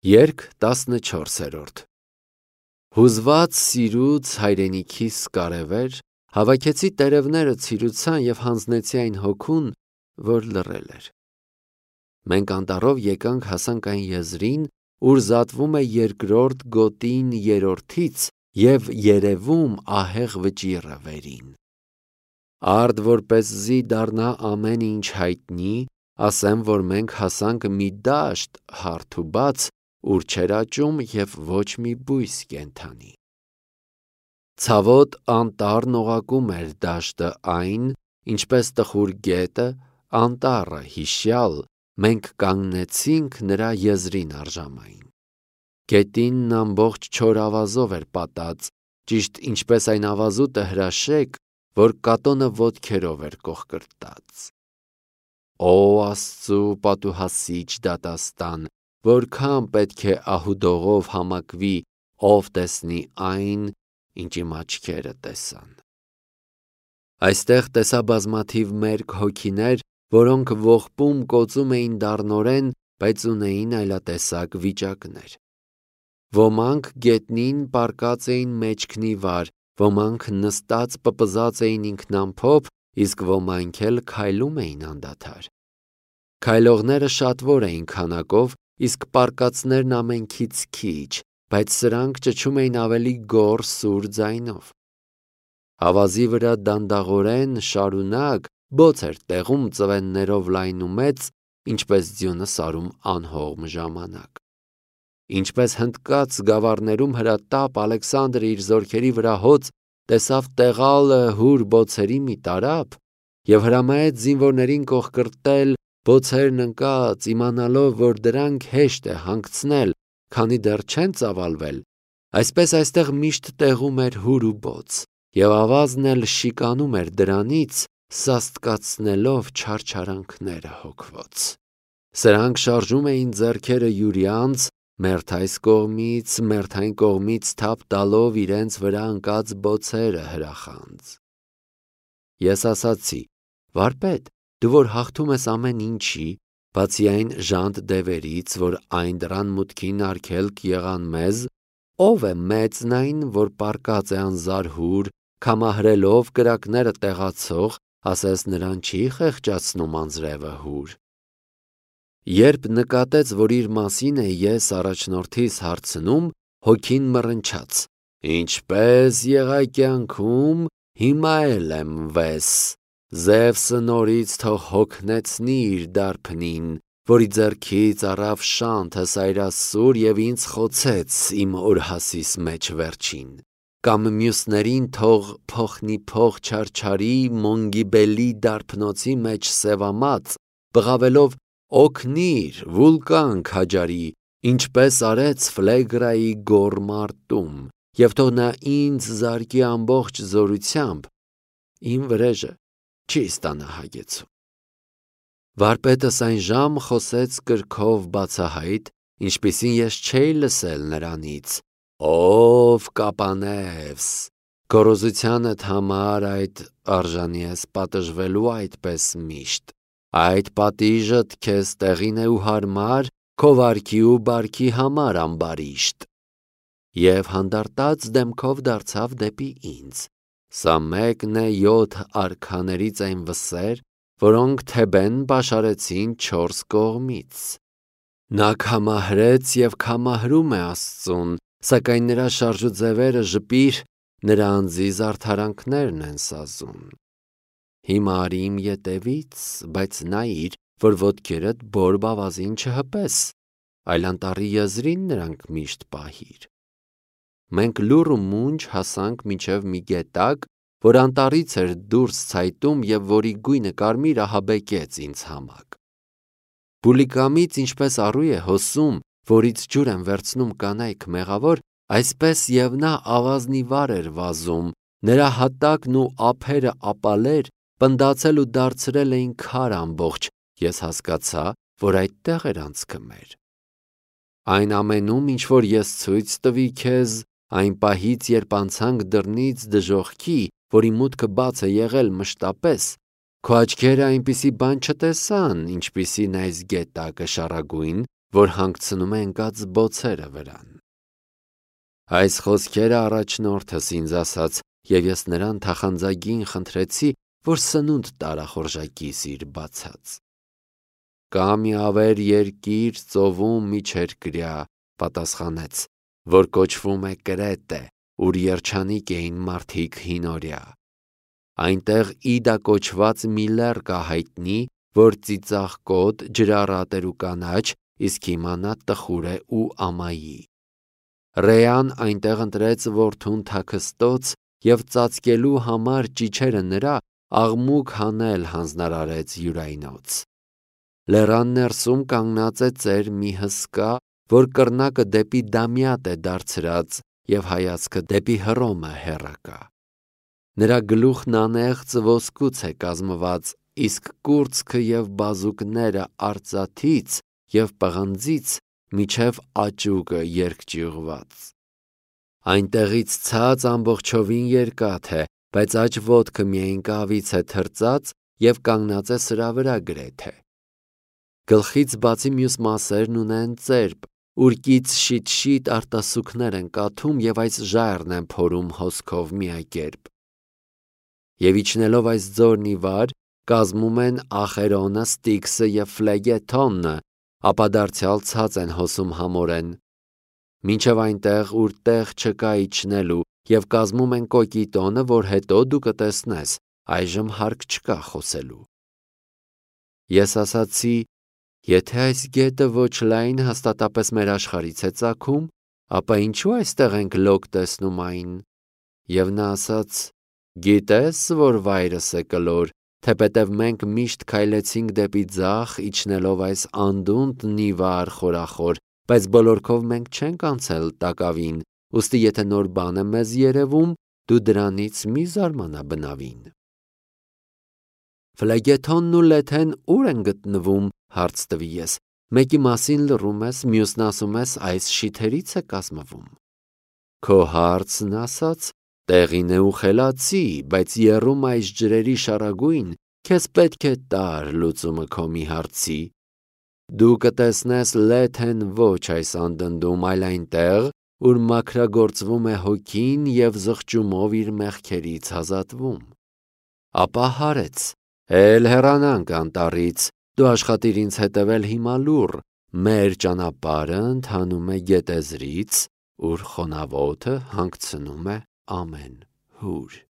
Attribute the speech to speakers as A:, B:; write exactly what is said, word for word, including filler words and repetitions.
A: Երգ տասնչորսերորդ Հուզված սիրուց հայրենիքիս կարևեր, հավաքեցի տերևները ցիրուցան և հանձնեցի այն հոգուն, որ լռել էր։ Մենք անտառով եկանք հասանք այն եզրին, ուր զատվում է երկրորդ գոտին երրորդից և երևում ահեղ վճիռը վերին։ Արդ որպեսզի դառնա ամեն ինչ հայտնի, ասեմ, որ մենք հասանք մի դաշտ հարթ ու բաց, ուր չէր աճում և ոչ մի բույս կենդանի։ Ցավոտ անտառն օղակում էր դաշտը այն, ինչպես տխուր գետը, անտառը հիշյալ, մենք կանգնեցինք նրա եզրին առժամայն։ Գետինն ամբողջ չոր ավազով էր պատած, ճիշտ ինչպես այն ավազուտը հրաշեկ, որ կատոնը ոտքերով էր կոխկրտած։ Օ Աստծու պատուհասիչ դատաստան, որքան պետք է ահուդողով համակվի, ով տեսնի այն, ինչ իմ աչքերը տեսան։ Այստեղ տեսա բազմաթիվ մերկ հոգիներ, որոնք ողբում կոծում էին դառնորեն, բայց ունեին այլատեսակ վիճակներ։ Ոմանք գետնին պառկած էին մեջքնի վար, ոմանք նստած պպզած էին ինքնամփոփ, իսկ ոմանք էլ քայլում էին անդադար։ Քայլողները շատվոր էին քանակով, իսկ պառկածներն ամենքից քիչ, բայց սրանք ճչում էին ավելի գոռ սուր ձայնով։ Ավազի վրա դանդաղորեն շարունակ բոց էր տեղում ծվեններով լայնումեծ, ինչպես ձյունը սարում անհողմ ժամանակ։ Ինչպես հնդկած գավառներում հրատապ Ալեքսանդրը իր զորքերի վրա հոծ տեսավ տեղալը հուր բոցերի մի տարափ և հրամայեց զինվորներին կոխկրտել բոցերն ընկած, իմանալով, որ դրանք հեշտ է հանգցնել, քանի դեռ չեն ծավալվել, այսպես այստեղ միշտ տեղում էր հուր ու բոց, և ավազն էլ շիկանում էր դրանից, սաստկացնելով չարչարանքները հոգվոց։ Սրանք շարժում էին ձեռքերը յուրյանց, մերթ այս կողմից, մերթ այն կողմից թափ տալով իրենց վրա ընկած բոցերը հրախանձ։ Ես ասացի. «Վարպետ, դու որ հաղթում ես ամեն ինչի, բացի այն ժանտ դևերից, որ այն դռան մուտքին արգելք եղան մեզ, ո՞վ է մեծն այն, որ պառկած է անզարհուր, քամահրելով կրակները տեղացող, ասես նրան չի խեղճացնում անձրևը հուր»։ Երբ նկատեց, որ իր մասին է ես առաջնորդիս հարցնում, հոգին մռնչաց. «Ինչպես եղա կյանքում, հիմա էլ եմ վես, Զևսը նորից թող հոգնեցնի իր դարբնին, որի ձեռքից առավ շանթը սայրասուր և ինձ խոցեց իմ օրհասիս մեջ վերջին, կամ մյուսներին թող փոխնիփոխ չարչարի Մոնգիբելի դարբնոցի մեջ սևամած, բղավելով օգնիր, վուլկան քաջարի, ինչպես արեց Ֆլեգրայի գոռ մարտում, և թող նա ինձ զարկի ամբողջ զորությամբ, իմ վրեժը չի ստանա հագեցում»։ Վարպետս այն ժամ խոսեց կրքով բացահայտ, ինչպիսին ես չէի լսել նրանից. «Ով կապանևս, գոռոզությանդ համար այդ արժանի ես պատժվելու այդպես միշտ, այդ պատիժդ քեզ տեղին է ու հարմար, քո վարքի ու բարքի համար ամբարիշտ»։ Եվ հանդարտած դեմքով դարձավ դեպի ինձ. «Սա մեկն է յոթ արքաներից այն վսեր, որոնք Թեբեն պաշարեցին չորս կողմից։ Նա քամահրեց և քամահրում է Աստծուն, սակայն նրա շարժուձևերը ժպիր, նրա անձի զարդարանքներն են սազում։ Հիմա արի իմ ետևից, բայց նայիր, որ ոտքերդ բորբ ավազին չհպես, այլ անտառի եզրին նրանք միշտ պահիր»։ Մենք լուռ ու մունջ հասանք մինչև մի գետակ, որ անտառից էր դուրս ցայտում և որի գույնը կարմիր ահաբեկեց ինձ համակ։ Բուլիկամից ինչպես առու է հոսում, որից ջուր են վերցնում կանայք մեղավոր, այսպես և նա ավազնի վար էր վազում, նրա հատակն ու ափերը ապալեր, պնդացել ու դարձրել էին քար ամբողջ, ես հասկացա, որ այդտեղ էր անցքը մեր։ Այն ամենում, ինչ որ ես ցույց տվի քեզ, այն պահից, երբ անցանք դռնից դժոխքի, որի մուտքը բաց է եղել մշտապես, քո աչքերը այնպիսի բան չտեսան, ինչպիսին այս գետակը շառագույն, որ հանգցնում է ընկած բոցերը վրան։ Այս խոսքերը առաջնորդս ինձ ասաց, և ես նրան թախանձագին խնդրեցի, որ սնունդ տարա խորժակիս իր բացած։ Կա մի ավեր երկիր ծովում միջերկրյա, պատասխանեց, որ կոչվում է Կրետե, ուր երջանիկ էին մարդիկ հինօրյա։ Այնտեղ Իդա կոչված մի լեռ կա հայտնի, որ ծիծաղկոտ, ջրառատ էր ու կանաչ, իսկ հիմա նա տխուր է ու ամայի։ Ռեան այնտեղ ընտրեց որդուն թաքստոց և ծածկելու համար ճիչերը նրա աղմուկ հանել հանձնարարեց յուրայնոց։ Լեռան ներսում կանգնած է ծեր մի հսկա, որ կռնակը դեպի դամյատ է դարձրած և հայացքը դեպի Հռոմը հեռակա։ Նրա գլուխն անեղծ ոսկուց է կազմված, իսկ կուրծքը և բազուկները արծաթից և պղնձից մինչև աճուկը երկճյուղված։ Այնտեղից ցած ամբողջովին երկաթ է, բայց աջ ոտքը միայն կավից է թրծած և կանգնած է սրա վրա գրեթե։ Գլխից բացի մյուս մասերն ունեն ծերբ, ուր կից շիտ-շիտ արտասուքներ են կաթում և այս ժայռն են փորում հոսքով միակերպ։ Եվ իջնելով այս ձորն ի վար, կազմում են Ախերոնը, Ստիքսը և Ֆլեգեթոնը, ապա դարձյալ ցած են հոսում համորեն, մինչև այնտեղ, ուր տեղ չկա իջնելու, և կազմում են Կոկիտոնը, որ հետո դու կտեսնես, այժմ հարկ չկա խոսելու։ Ես ասացի. եթե այս գետը ոչ լայն հաստատապես մեր աշխարհից է ծագում, ապա ինչու այստեղ ենք լոկ տեսնում այն։ Եվ նա ասաց. գիտես, որ վայրս է կլոր, թեպետև մենք միշտ քայլեցինք դեպի ձախ, իջնելով այս անդունդն ի վար խորախոր, բայց բոլորքով մենք չենք անցել տակավին, ուստի եթե նոր բան է մեզ երևում, դու դրանից մի զարմանա բնավին։ Ֆլեգեթոնն ու Լեթեն ո՞ւր են գտնվում, հարց տվի ես, մեկի մասին լռում ես, մյուսն ասում ես այս շիթերից է կազմվում։ Քո հարցն ասաց, տեղին է ու խելացի, բայց եռում այս ջրերի շարագույն, քեզ պետք է տար լուծումը քո մի հարցի։ Դու կտեսնես Լեթեն ոչ այս անդնդում, այլ այնտեղ, ուր մաքրագործվում է հոգին և զղջումով իր մեղքերից ազատվում։ Ապա հարեց. էլ հեռանանք անտառից, դու աշխատիր ինձ հետևել հիմա լուռ, մեր ճանապարհը ընթանում է գետեզրից, ուր խոնավոթը հանգցնում է ամեն հուր։